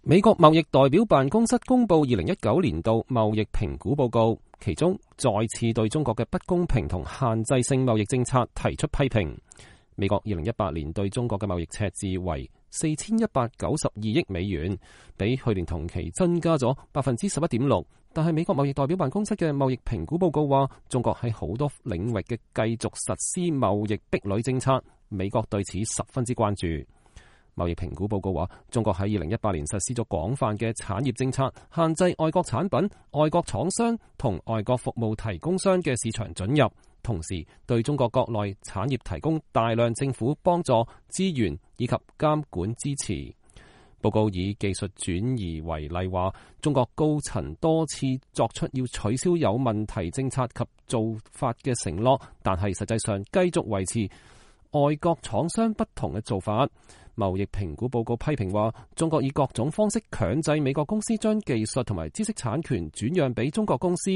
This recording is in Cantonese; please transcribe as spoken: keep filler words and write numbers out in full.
美國貿易代表辦公室公布二零一九年度貿易評估報告，其中再次對中國嘅不公平同限制性貿易政策提出批評。美國二零一八年對中國嘅貿易赤字為四千一百九十二億美元，比去年同期增加咗百分之十一點六。但係美國貿易代表辦公室嘅貿易評估報告話，中國喺好多領域嘅繼續實施貿易壁壘政策，美國對此十分之關注。貿易評估報告話，中國喺二零一八年實施咗廣泛嘅產業政策，限制外國產品、外國廠商同外國服務提供商嘅市場准入，同時對中國國內產業提供大量政府幫助、資源以及監管支持。報告以技術轉移為例，話中國高層多次作出要取消有問題政策及做法嘅承諾，但係實際上繼續維持外國廠商不同嘅做法。貿易評估報告批評話，中國以各種方式強制美國公司將技術同埋知識產權轉讓俾中國公司。